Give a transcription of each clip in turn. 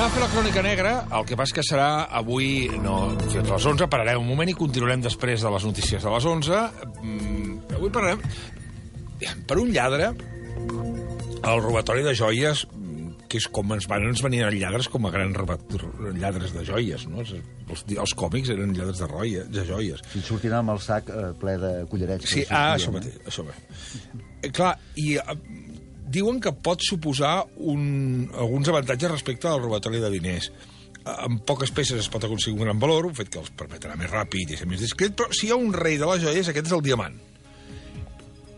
Anem a fer la crònica negra, el que passa que serà avui, no, fins a les 11, pararem un moment i continuarem després de les notícies de les 11. Avui parlarem, per un lladre, el robatori de joies, que és com ens venien els lladres com a grans lladres de joies, no? Els còmics eren lladres de joies. I sortint amb el sac ple de collarets. Sí, això mateix, això bé. Clar, i diuen que pot suposar alguns avantatges respecte al robatori de diners. Amb poques peces es pot aconseguir un gran valor, un fet que els permetrà més ràpid i ser més discret, però si hi ha un rei de les joies, aquest és el diamant.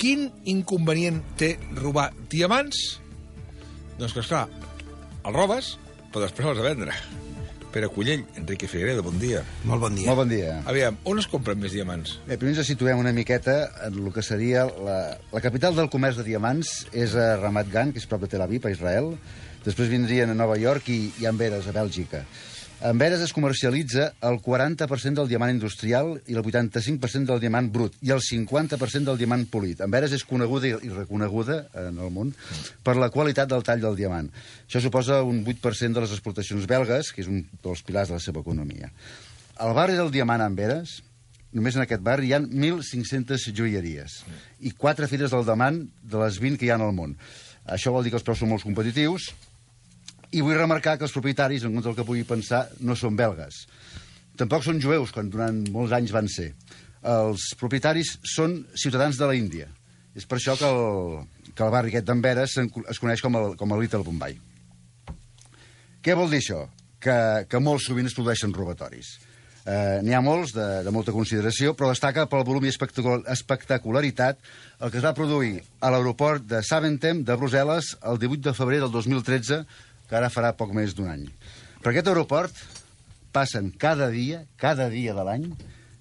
Quin inconvenient té robar diamants? Doncs que, esclar, el robes, però després l'has de vendre. Pere Cullell, Enrique Figueredo, bon dia. Molt bon dia. Molt bon dia. Aviam, on es compren més diamants? Bé, primer ens situem una miqueta en el que seria la capital del comerç de diamants, és a Ramat Gan, que és prop de Tel Aviv, a Israel. Després vindrien a Nova York i a Amberes, a Bèlgica. A Amberes es comercialitza el 40% del diamant industrial i el 85% del diamant brut i el 50% del diamant polit. Amberes és coneguda i reconeguda en el món per la qualitat del tall del diamant. Això suposa un 8% de les exportacions belgues, que és un dels pilars de la seva economia. Al barri del diamant a Amberes, només en aquest barri hi ha 1.500 joieries i 4 fires del diamant de les 20 que hi ha al món. Això vol dir que els preus són molt competitius. I vull remarcar que els propietaris, en contra del que pugui pensar, no són belgues. Tampoc són jueus, quan durant molts anys van ser. Els propietaris són ciutadans de l'Índia. És per això que el barri aquest d'Amberes es coneix com el Little Bombay. Què vol dir això? Que molt sovint es produeixen robatoris. N'hi ha molts de molta consideració, però destaca pel volum i espectacularitat el que es va produir a l'aeroport de Zaventem de Brussel·les el 18 de febrer del 2013, que ara farà poc més d'un any. Per aquest aeroport passen cada dia de l'any,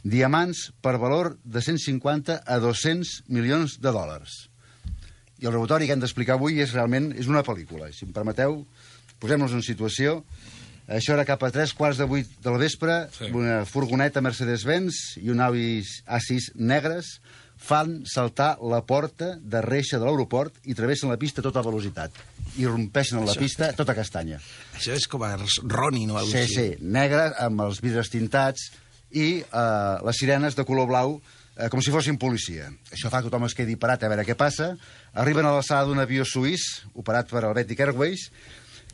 diamants per valor de 150 a 200 milions de dòlars. I el robatori que hem d'explicar avui és una pel·lícula. Si em permeteu, posem-nos en situació. Això era cap a 7:45 del vespre, sí. Una furgoneta Mercedes-Benz i un Audi A6 negres fan saltar la porta de reixa de l'aeroport i travessen la pista a tota velocitat. I rompeixen en la pista tota castanya. Això és com a Ronin o alguna cosa Sí, negre, amb els vidres tintats i les sirenes de color blau, com si fossin policia. Això fa que tothom es quedi parat a veure què passa. Arriben a l'alçada d'un avió suís, operat per Helvetic Airways.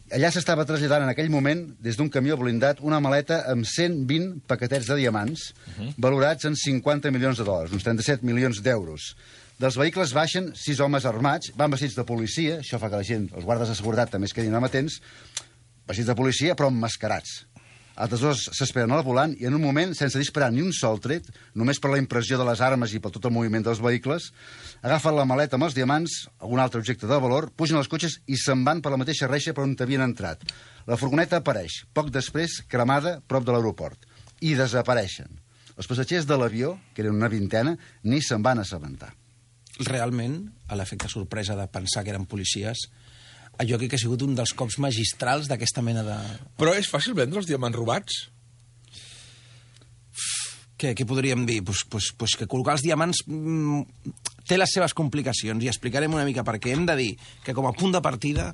Allà s'estava traslladant en aquell moment, des d'un camió blindat, una maleta amb 120 paquetets de diamants, valorats en 50 milions de dòlars, uns 37 milions d'euros. Dels vehicles baixen 6 homes armats, van vestits de policia, això fa que la gent, els guardes de seguretat també es quedin amatents, vestits de policia però emmascarats. Altres dos s'esperen al volant i en un moment, sense disparar ni un sol tret, només per la impressió de les armes i per tot el moviment dels vehicles, agafen la maleta amb els diamants, algun altre objecte de valor, pugen als cotxes i se'n van per la mateixa reixa per on havien entrat. La furgoneta apareix, poc després, cremada prop de l'aeroport. I desapareixen. Els passatgers de l'avió, que eren una vintena, ni se'n van assabentar. Realment, a l'efecte sorpresa de pensar que eren policies, jo crec que ha sigut un dels cops magistrals d'aquesta mena de... Però és fàcil vendre els diamants robats? Què podríem dir? Pues que col·locar els diamants té les seves complicacions i explicarem una mica per què. Hem de dir que com a punt de partida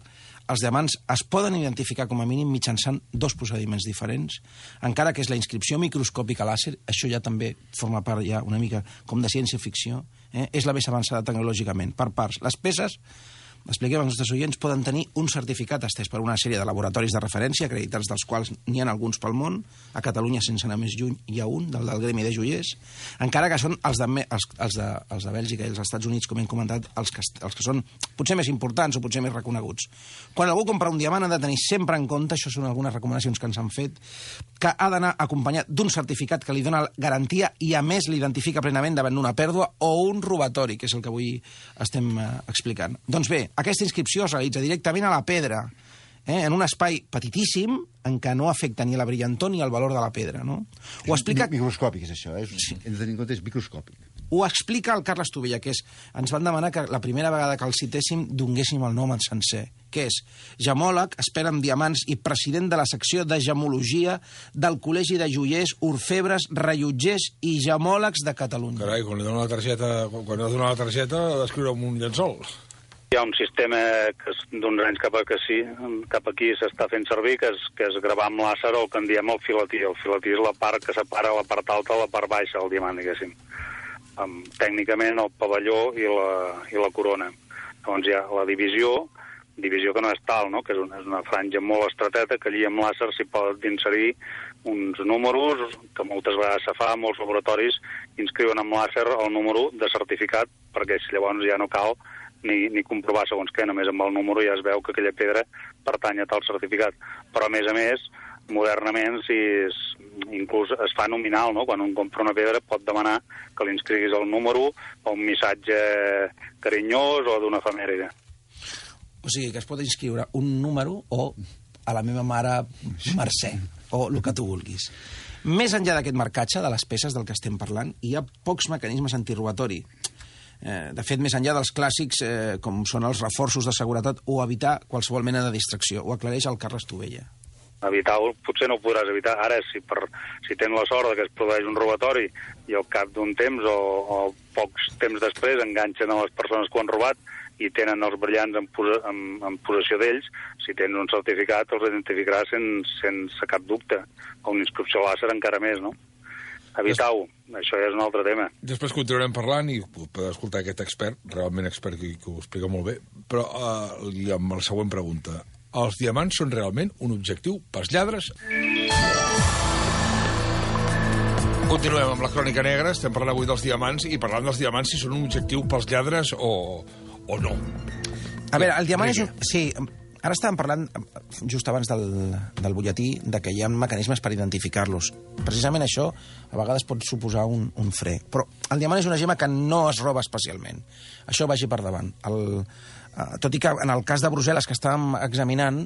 els diamants es poden identificar com a mínim mitjançant 2 procediments diferents, encara que és la inscripció microscòpica làser, això ja també forma part ja una mica com de ciència-ficció, és la més avançada tecnològicament, per parts. Les peces, expliquem als nostres oients, poden tenir un certificat estès per una sèrie de laboratoris de referència, acreditats dels quals n'hi ha alguns pel món. A Catalunya, sense anar més lluny, hi ha un, del gremi de joiers, encara que són els de Bèlgica i els Estats Units, com hem comentat, els que són potser més importants o potser més reconeguts. Quan algú compra un diamant ha de tenir sempre en compte, això són algunes recomanacions que ens han fet, que ha d'anar acompanyat d'un certificat que li dona garantia i a més l'identifica plenament davant d'una pèrdua o un robatori, que és el que avui estem explicant. Doncs bé, aquesta inscripció es realitza directament a la pedra, en un espai petitíssim en què no afecta ni la brillantor ni el valor de la pedra. No? Ho explica... Microscòpic és això, hem de tenir en compte, és microscòpic. Ho explica el Carles Tovella, que ens van demanar que la primera vegada que el citéssim donguéssim el nom en sencer, que és gemòleg, expert en diamants i president de la secció de gemologia del Col·legi de Joiers, Orfebres, Rellotgers i Gemòlegs de Catalunya. Carai, quan li dona la targeta, ha d'escriure amb un llençol. Hi ha un sistema que d'uns anys cap aquí s'està fent servir, que és gravar amb làser el que en diem el filatí. El filatí és la part que separa la part alta de la part baixa del diamant, diguéssim. Tècnicament el pavelló i la corona. Llavors hi ha la divisió que no és tal, no? Que és una franja molt estreteta, que allí amb làser s'hi pot inserir uns números, que moltes vegades se fa a molts laboratoris, inscriuen amb làser el número de certificat, perquè llavors ja no cal ni comprovar segons què, només amb el número ja es veu que aquella pedra pertany a tal certificat. Però, a més, modernament, inclús es fa nominal, no? Quan un compra una pedra pot demanar que li inscriguis el número o un missatge carinyós o d'una efemèride. O sigui, que es pot inscriure un número o a la meva mare Mercè, o el que tu vulguis. Més enllà d'aquest marcatge de les peces del que estem parlant, hi ha pocs mecanismes antirobatori. De fet, més enllà dels clàssics, com són els reforços de seguretat o evitar qualsevol mena de distracció. Ho aclareix el Carles Tovella. Evitar-ho potser no ho podràs evitar. Ara, si tens la sort que es produeix un robatori i al cap d'un temps o pocs temps després enganxen a les persones que ho han robat i tenen els brillants en possessió d'ells, si tens un certificat els identificaràs sense cap dubte. O una inscripció làser encara més, no? Evitar-ho, això ja és un altre tema. Després continuarem parlant i podeu escoltar aquest expert, realment expert, que ho explica molt bé, però amb la següent pregunta. Els diamants són realment un objectiu pels lladres? Continuem amb la Crònica Negra, estem parlant avui dels diamants i parlant dels diamants si són un objectiu pels lladres o no. A veure, el diamant és un... Sí, ara estàvem parlant, just abans del butlletí, de que hi ha mecanismes per identificar-los. Precisament això a vegades pot suposar un fre. Però el diamant és una gemma que no es roba especialment. Això vagi per davant. Tot i que en el cas de Brussel·les que estàvem examinant,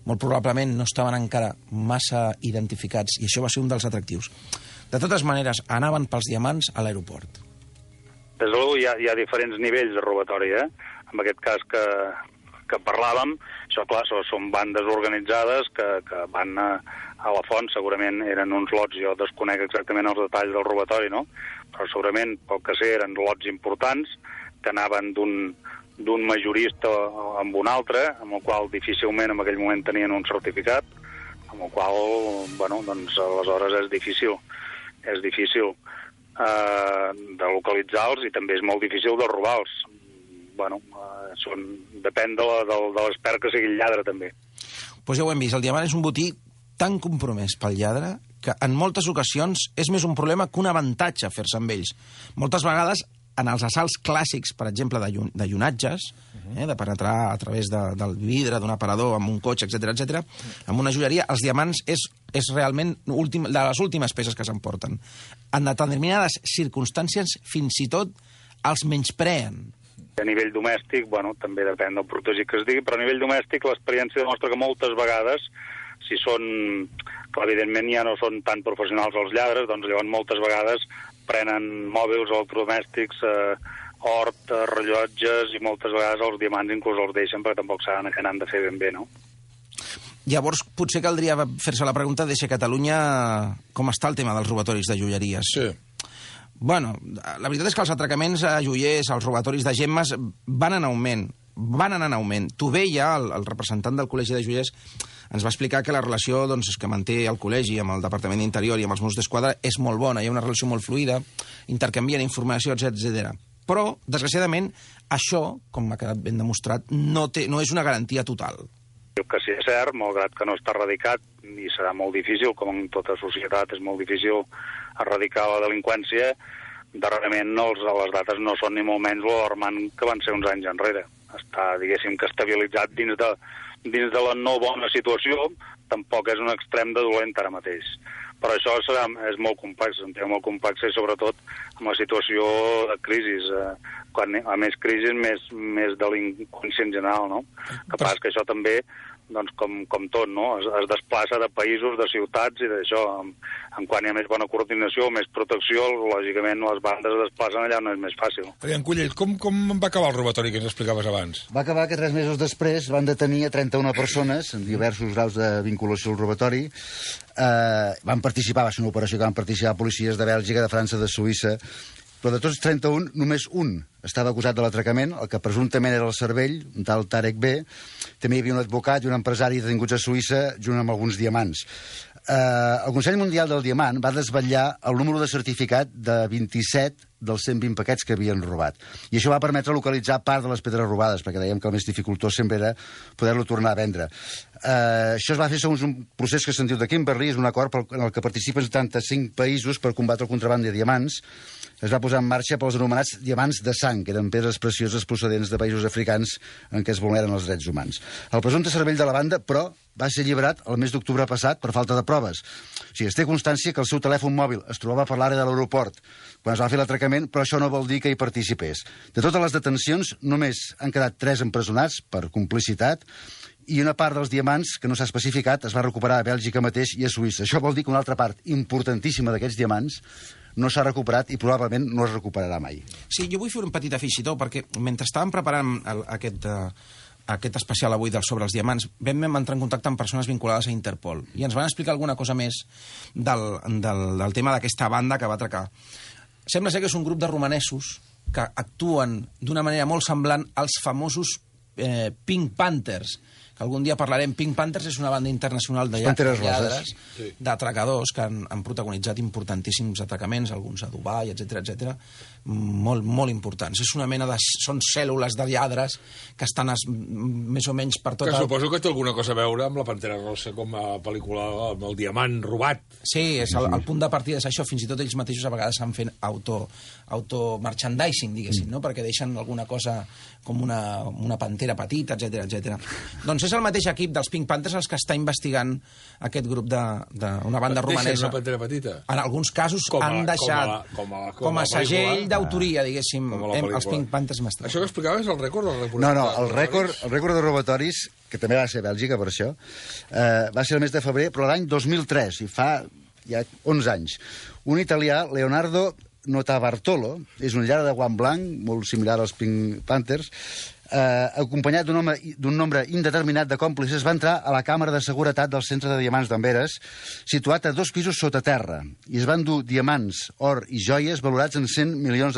molt probablement no estaven encara massa identificats, i això va ser un dels atractius. De totes maneres, anaven pels diamants a l'aeroport. Des de l'u hi ha diferents nivells de robatori, En aquest cas que parlàvem, això, clar, són bandes organitzades que van a la font, segurament eren uns lots, jo desconec exactament els detalls del robatori, no? Però segurament, pel que sé, eren lots importants que anaven d'un majorista amb un altre, amb el qual difícilment en aquell moment tenien un certificat, amb el qual, bueno, doncs aleshores és difícil de localitzar-los i també és molt difícil de robar-los. Bueno, depèn de l'expert que sigui el lladre, també. Doncs ja ho hem vist, el diamant és un botí tan compromès pel lladre que en moltes ocasions és més un problema que un avantatge fer-se amb ells. Moltes vegades, en els assalts clàssics, per exemple, de llunatges, de penetrar a través del vidre d'un aparador amb un cotxe, etc, amb una joieria, els diamants és realment de les últimes peces que s'emporten. En determinades circumstàncies, fins i tot, els menyspreen. A nivell domèstic, bueno, també depèn del protegit que es digui, però a nivell domèstic l'experiència demostra que moltes vegades, si són, que evidentment ja no són tan professionals els lladres, doncs llavors moltes vegades prenen mòbils electrodomèstics, hort, rellotges, i moltes vegades els diamants inclús els deixen perquè tampoc saben que n'han de fer ben bé, no? Llavors, potser caldria fer-se la pregunta de si a Catalunya com està el tema dels robatoris de joieries. Sí. Bueno, la veritat és que els atracaments a joiers, els robatoris de gemmes, van anar en augment. Tovella, el representant del Col·legi de Joiers, ens va explicar que la relació que manté el col·legi amb el Departament d'Interior i amb els Mossos d'Esquadra és molt bona, hi ha una relació molt fluida, intercanvien informació, etc. Però, desgraciadament, això, com m'ha quedat ben demostrat, no és una garantia total. Que sí, és cert, malgrat que no està erradicat, i serà molt difícil, com en tota societat és molt difícil erradicar la delinqüència, darrerament les dates no són ni molt menys l'alarmant que van ser uns anys enrere. Està, diguéssim, que estabilitzat dins de la no bona situació, tampoc és un extrem de dolent ara mateix. Però això és molt complex, un tema molt complex, i sobretot amb la situació de crisi. Quan a més crisi, més delinqüència en general, no? Que passa que això també, doncs, com tot, no? Es desplaça de països, de ciutats i d'això. Quan hi ha més bona coordinació, més protecció, lògicament les bandes es desplacen allà on és més fàcil. Adrián Cullell, com va acabar el robatori que ens explicaves abans? Va acabar que 3 mesos després van detenir a 31 persones en diversos graus de vinculació al robatori. Va ser una operació que van participar policies de Bèlgica, de França, de Suïssa però de tots 31, només un estava acusat de l'atracament, el que presumptament era el cervell, un tal Tarek B. També hi havia un advocat i un empresari detinguts a Suïssa, junt amb alguns diamants. El Consell Mundial del Diamant va desvetllar el número de certificat de 27 dels 120 paquets que havien robat. I això va permetre localitzar part de les pedres robades, perquè dèiem que el més dificultós sempre era poder-lo tornar a vendre. Això es va fer segons un procés que se'n diu de Kimberley, és un acord en el que participen 75 països per combatre el contraban de diamants. Es va posar en marxa pels anomenats diamants de sang, que eren pedres precioses procedents de països africans en què es vulneren els drets humans. El presumpte cervell de la banda, però, va ser alliberat el mes d'octubre passat per falta de proves. O sigui, es té constància que el seu telèfon mòbil es trobava per l'àrea de l'aeroport quan es va fer l'atracament, però això no vol dir que hi participés. De totes les detencions, només han quedat 3 empresonats per complicitat i una part dels diamants que no s'ha especificat es va recuperar a Bèlgica mateix i a Suïssa. Això vol dir que una altra part importantíssima d'aquests diamants no s'ha recuperat i probablement no es recuperarà mai. Sí, jo vull fer un petit afegitó, perquè mentre estàvem preparant aquest especial avui sobre els diamants, vam entrar en contacte amb persones vinculades a Interpol i ens van explicar alguna cosa més del tema d'aquesta banda que va atracar. Sembla ser que és un grup de romanesos que actuen d'una manera molt semblant als famosos Pink Panthers, que algun dia parlarem. Pink Panthers és una banda internacional de lladres, d'atracadors, que han protagonitzat importantíssims atracaments, alguns a Dubai, etc, molt, molt importants. És una mena de... Són cèl·lules de lladres que estan més o menys per tot... Que suposo que té alguna cosa a veure amb la Pantera Rosa com a pel·lícula, amb el diamant robat. Sí, és el punt de partida és això. Fins i tot ells mateixos a vegades s'han fet auto-merchandising, diguéssim, no? Perquè deixen alguna cosa com una pantera petita, etc. Doncs és el mateix equip dels Pink Panthers els que està investigant aquest grup d'una banda romanesa. Deixen una pantera petita? En alguns casos han deixat com a segell d'autoria, diguéssim, els Pink Panthers investigant. Això que explicaves és el rècord? No, el rècord de robatoris, que també va ser a Bèlgica, per això, va ser el mes de febrer, però l'any 2003, i fa ja 11 anys. Un italià, Leonardo Notarbartolo, és un lladre de guant blanc, molt similar als Pink Panthers, acompanyat d'un nombre indeterminat de còmplices, va entrar a la càmera de seguretat del centre de diamants d'Amberes, situat a 2 pisos sota terra, i es van dur diamants, or i joies valorats en $100 milions.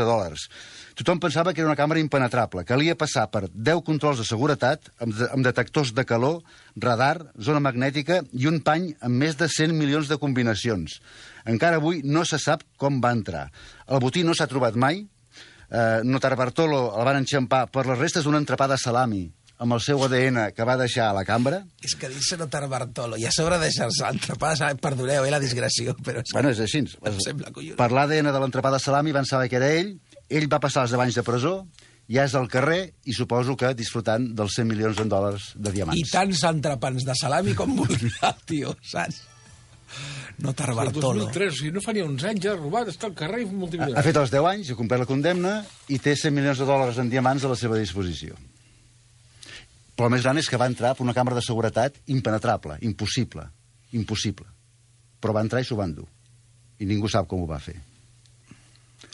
Tothom pensava que era una càmera impenetrable. Calia passar per 10 controls de seguretat, amb detectors de calor, radar, zona magnètica i un pany amb més de 100 milions de combinacions. Encara avui no se sap com va entrar. El botí no s'ha trobat mai. Notarbartolo el van enxampar per les restes d'un entrepà de salami amb el seu ADN que va deixar a la cambra. És que dir-se Notarbartolo i a sobre deixar-se l'entrepà de salami, perdoneu, la digressió, però... Bueno, és així. Per l'ADN de l'entrepà de salami van saber que era ell va passar els 10 anys de presó, ja és al carrer i suposo que disfrutant dels $100 milions de diamants. I tants entrepans de salami com volia, tio, saps? Notarbartolo. 2003, o sigui, no fa ni uns anys, ja ha robat, està al carrer multimilionari. Ha fet els 10 anys, ha complert la condemna i té $100 milions en diamants a la seva disposició. Però el més gran és que va entrar per una càmera de seguretat impenetrable, impossible. Però va entrar i s'ho van dur. I ningú sap com ho va fer.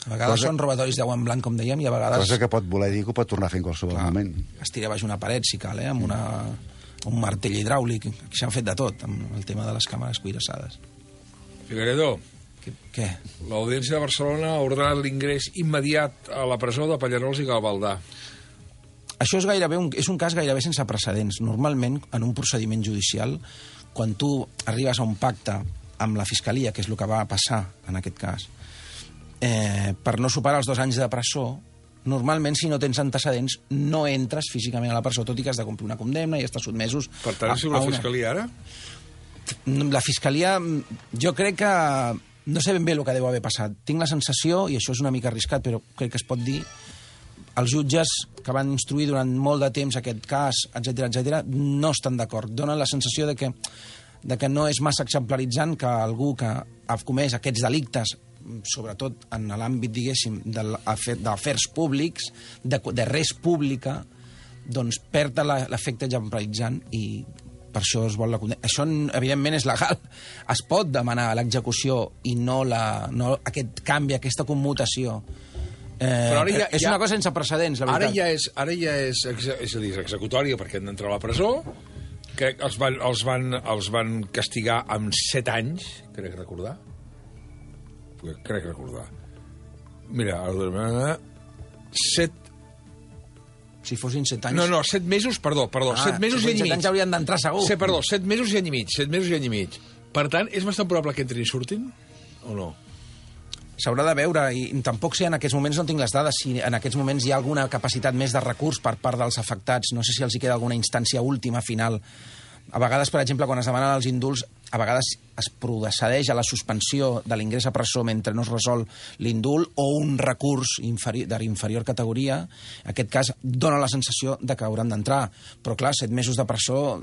A vegades són robatoris de guant blanc, com dèiem, i a vegades... Cosa que pot voler dir que ho pot tornar a fer en qualsevol moment. Es tira baix una paret, si cal, amb un martell hidràulic. Aquí s'han fet de tot, amb el tema de les càmeres cuirassades. Figueredo, què? L'Audiència de Barcelona ha ordenat l'ingrés immediat a la presó de Pallerols i Gavaldà. Això és un cas gairebé sense precedents. Normalment, en un procediment judicial, quan tu arribes a un pacte amb la Fiscalia, que és el que va passar en aquest cas, per no superar els 2 anys de presó, normalment, si no tens antecedents, no entres físicament a la presó, tot i que has de complir una condemna i estàs sotmesos... Per tant, és la Fiscalia ara? La Fiscalia, jo crec que... No sé ben bé el que deu haver passat. Tinc la sensació, i això és una mica arriscat, però crec que es pot dir, els jutges que van instruir durant molt de temps aquest cas, etc, no estan d'acord. Donen la sensació de que no és massa exemplaritzant que algú que ha comès aquests delictes, sobretot en l'àmbit, diguéssim, d'afers públics, de res pública, doncs perd l'efecte exemplaritzant i per això es vol la condemna. Això, evidentment, és legal. Es pot demanar l'execució i no aquest canvi, aquesta commutació. Però ara és una cosa sense precedents, la veritat. Ara ja és executòria perquè han d'entrar a la presó, que els van castigar amb 7 anys, crec recordar. Mira, 7... Si fossin 7 anys... No, 7 mesos, perdó, 7 mesos i any i 7 mig. anys haurien d'entrar segur. 7 mesos i any i mig, 7 mesos i any i mig. Per tant, és bastant probable que entrin i surtin, o no? S'haurà de veure, i tampoc sé, en aquests moments no tinc les dades, si en aquests moments hi ha alguna capacitat més de recurs per part dels afectats, no sé si els hi queda alguna instància última, final. A vegades, per exemple, quan es demanen els indults, a vegades es procedeix a la suspensió de l'ingrés a presó mentre no es resol l'indult o un recurs d'inferior categoria. En aquest cas, dona la sensació de que hauran d'entrar. Però, clar, 7 mesos de presó,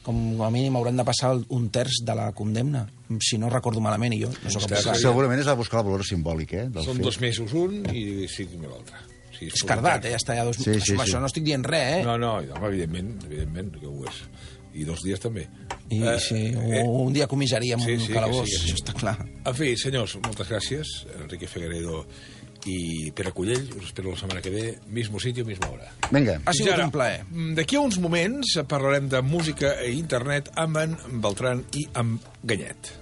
com a mínim hauran de passar un terç de la condemna, si no recordo malament, i jo no soc apostat. Segurament es va buscar el valor simbòlic, Són 2 mesos un i 5 mil l'altre. És cardat, ja està ja 2 mesos. Això no estic dient res, No, evidentment que ho és. I 2 dies també. O un dia comissaria amb un calabós, això està clar. En fi, senyors, moltes gràcies. Enrique Figueredo i Pere Cullell. Us espero la setmana que ve. Mismo sitio, misma hora. Vinga. Ha sigut un plaer. D'aquí a uns moments parlarem de música i internet amb en Beltran i amb Ganyet.